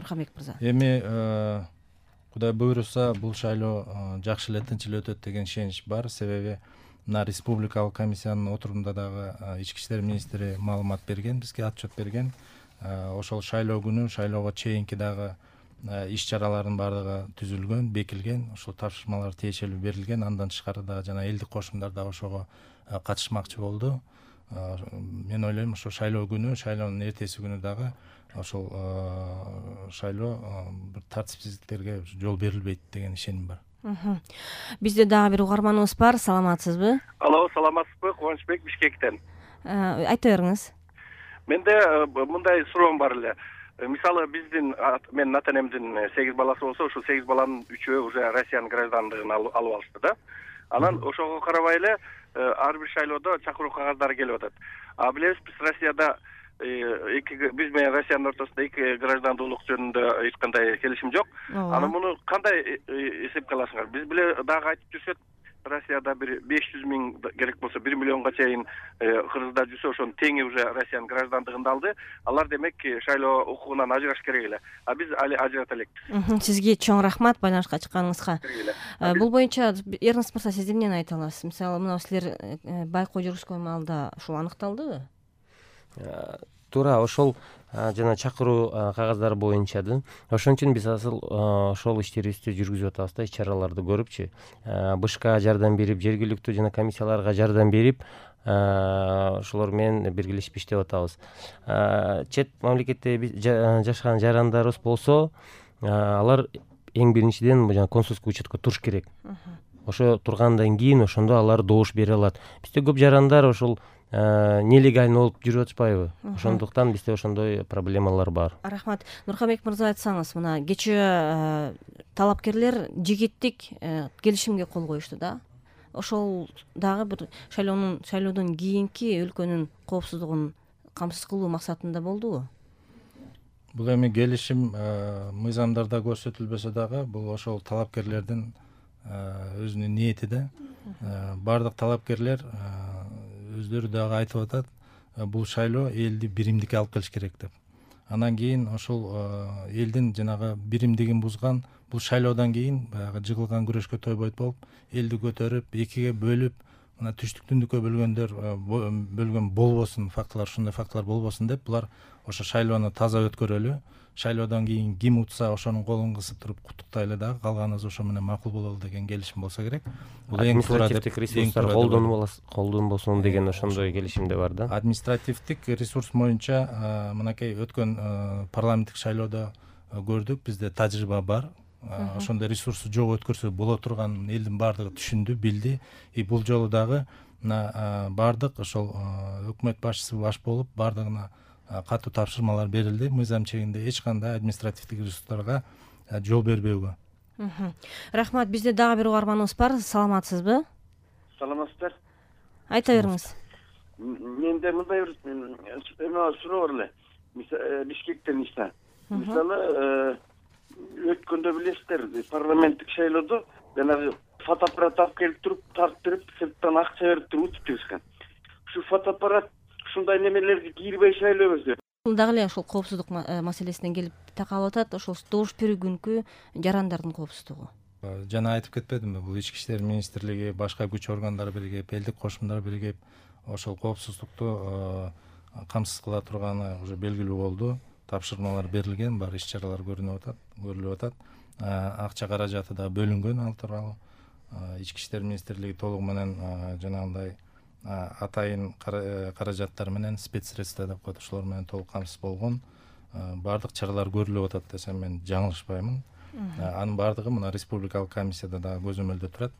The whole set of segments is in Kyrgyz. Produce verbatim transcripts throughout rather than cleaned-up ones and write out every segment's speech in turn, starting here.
Нурханбек мырза. Эми Кудай буйруса бул шайлоо жакшы эле тынч эле өтөт деген ишенич бар. Себеби мына республикалык комиссиянын отурумунда дагы ички иштер министри маалымат берген, бизге отчет берген. Ошол шайлоо күнү шайлоого чейинки дагы иш чаралардын баардыгы түзүлгөн, бекилген, ошол тапшырмалар тиешелүү берилген. Андан тышкары дагы жана элдик кошумдар да ошого катышмакчы болду. Мен ойлойм, ошо шайлоо күнү, шайлоонун эртеси күнү дагы ошол шайлоо бир тартипсиздиктерге жол берилбейт деген ишеним бар. Бизде дагы бир угарманыбыз бар. Саламатсызбы? Алло, саламатсызбы? Кубанычбек, Бишкектен. Айта бериңиз. Менде мындай суроом бар эле. Мисалы биздин менин ата энемдин сегиз баласы болсо, ошол сегиз баланын үчөө уже Россиянын граждандыгын алып алышты да. Анан ошого карабай эле ар бир шайлоодо чакыруу кагаздары келип атат. А билебиз, биз Россияда эки биз менен Россиянын ортосунда эки граждандуулук жөнүндө эч кандай келишим жок. Анан муну кандай эсепке аласыңар? Биз биле дагы айтып жүрсөк, Россияда бир беш жүз миң керек болсо бир миллионго чейин кыргыздар жүрсө, ошонун теңи уже Россиянын граждандыгын алды. Алар демек шайлоо укугунан ажыраш керек эле. А биз али ажырата элекпиз. Сизге чоң рахмат байланышка чыкканыңызга. Бул боюнча Эрнст мырза, сиз эмнени айта аласыз? Мисалы, мына силер байкоо жүргүзгөн маалда ушул аныкталдыбы? Туура ошол жана чакыруу кагаздары боюнча да. Ошон үчүн биз азыр ошол иштерибизди жүргүзүп атабыз да, иш чараларды көрүпчү. БШКга жардам берип, жергиликтүү жана комиссияларга жардам берип, ошолор менен биргелешип иштеп атабыз. Чет мамлекетте жашаган жарандарыбыз болсо, алар эң биринчиден жана консулский учетко туруш керек. Ошо тургандан кийин ошондо алар добуш бере алат. Бизде көп жарандар ошол нелегально болуп жүрүп атышпайбы? Ошондуктан бизде ошондой проблемалар бар. Рахмат. Нурханбек мырза, айтсаңыз, мына кечээ талапкерлер жигиттик келишимге кол коюшту да. Ошол дагы бир шайлоонун шайлоодон кийинки өлкөнүн коопсуздугун камсыз кылуу максатында болдубу? Бул эми келишим мыйзамдарда көрсөтүлбөсө дагы, бул ошол талапкерлердин өзүнүн ниети да. Бардык талапкерлер өздөрү дагы айтып атат, бул шайлоо элди биримдикке алып келиш керек деп. Андан кийин ошол элдин жанагы биримдигин бузган бул шайлоодон кийин баягы жыгылган күрөшкө тойбойт болуп, элди көтөрүп, экиге бөлүп, мына түштүк түндүккө бөлгөндөр бөлгөн болбосун, фактылар, ушундай фактылар болбосун деп, булар ошо шайлоону таза өткөрөлү. Шайлоодон кийин ким утса ошонун колун кысып туруп куттуктайлы дагы, калганыбыз ошо менен макул бололу деген келишим болсо керек. Бул административдик ресурстар колдонбосун деген ошондой келишим да бар да. Административдик ресурс боюнча мынакей өткөн парламенттик шайлоодо көрдүк, бизде тажрыйба бар. Ошондой ресурсу жок өткөрсө боло турган элдин баардыгы түшүндү, билди. И бул жолу дагы мына баардык ошол өкмөт башчысы баш болуп, баардыгына катуу тапшырмалар берилди. Мыйзам чегинде эч кандай административдик ресурстарга жол бербөөгө. Рахмат. Бизде дагы бир угарманыбыз бар. Саламатсызбы? Саламатсыздар. Айта бериңиз. Менде мындай бир эме суроо бар эле. Бишкектен Иса. Мисалы, өткөндө билесиздер, парламенттик шайлоодо жанагы фотоаппарат алып келип туруп, тарттырып, сырттан акча берип туруп өтүптүр. Ушу фотоаппарат ушундай немелерге кирбей шайлоо өтөт. Бул дагы эле ошол коопсуздук маселесинен келип такалып атат, ошол добуш берүү күнкү жарандардын коопсуздугу. Жана айтып кетпедимби, бул ички иштер министрлиги, башка күч органдары биригип, элдик кошумдар биригип, ошол коопсуздукту камсыз кыла турганы уже белгилүү болду. Тапшырмалар берилген, бар иш чаралар көрүнүп атат, көрүлүп атат. Акча каражаты да бөлүнгөн ал тууралуу. Ички иштер министрлиги толугу менен жанагындай атайын каражаттар менен спецсредства деп коет, ошолор менен толук камсыз болгон. Баардык чаралар көрүлүп атат десем мен жаңылышпаймын. Анын баардыгы мына республикалык комиссияда дагы көзөмөлдө турат.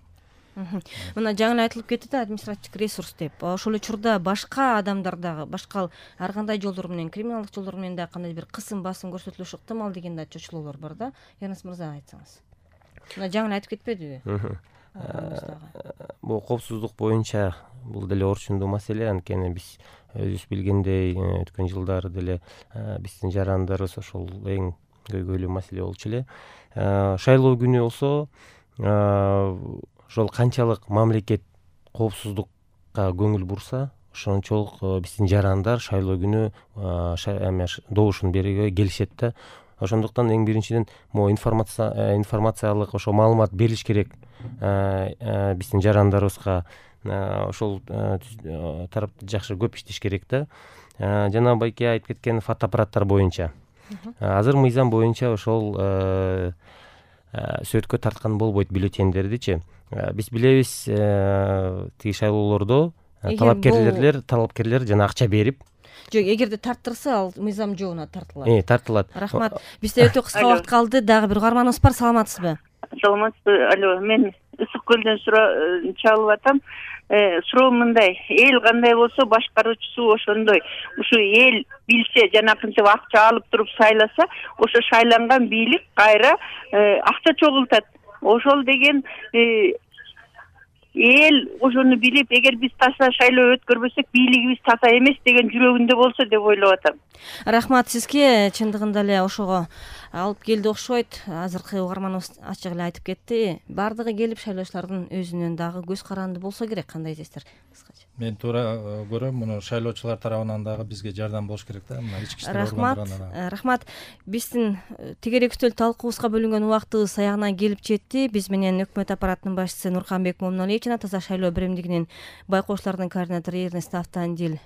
Мына жаңы айтылып кетти да, административдик ресурс деп. Ошол учурда башка адамдар дагы, башка ар кандай жолдор менен, криминалдык жолдор менен дагы кандай бир кысым басым көрсөтүлүшү ыктымал деген да чочулоолор бар да. Эрнст мырза, айтсаңыз. Мына жаңы айтып кетпедиби? Бул коопсуздук боюнча бул деле орчундуу маселе, анткени биз өзүбүз билгендей өткөн жылдары деле биздин жарандарыбыз ошол эң көйгөйлүү маселе болчу эле. Шайлоо күнү болсо ошол канчалык мамлекет коопсуздукка көңүл бурса, ошончолук биздин жарандар шайлоо күнү добушун берүүгө келишет да. ошондуктан эң биринчиден могу информация информациялык ошо маалымат берилиш керек биздин жарандарыбызга. Ошол тарапты жакшы көп иштеш керек да. Жана байке айтып кеткен фотоаппараттар боюнча азыр мыйзам боюнча ошол сөткө тарткан болбойт бюллетендердичи. Биз билебиз тиги шайлоолордо талапкерлер талапкерлер жана акча берип. Жок, эгерде тарттырса ал мыйзам жообуна тартылат. Э, тартылат. Рахмат. Бизде өтө кыска убакыт калды. Дагы бир угарманыбыз бар. Саламатсызбы? Саламатсызбы. Алло, мен Ысык көлдөн чалып атам. Суроо мындай: эл кандай болсо башкаруучусу ошондой. Ушу эл билсе, жанакынча акча алып туруп сайласа, ошо шайланган бийлик кайра акча чогултат. Ошол деген эл ошону билип, эгер биз таза шайлоо өткөрбөсөк, бийлигибиз таза эмес деген жүрөгүндө болсо деп ойлоп атам. Рахмат сизге. Чындыгында эле ошого алып келди окшойт. Азыркы угарманыбыз ачык эле айтып кетти. Бардыгы келип шайлоочулардын өзүнөн дагы көз каранды болсо керек. Кандай дейсиздер? Кыскача. Мен туура көрөм, муну шайлоочулар тарабынан дагы бизге жардам болуш керек да. Мына ички иштер Рахмат. органдарынан. Рахмат. Биздин тегерек үстөл талкуубузга бөлүнгөн убактыбыз аягына келип жетти. Биз менен өкмөт аппаратынын башчысы Нурканбек Момуналиев жана Таза шайлоо биримдигинин байкоочулардын координатору Эрнест Автандил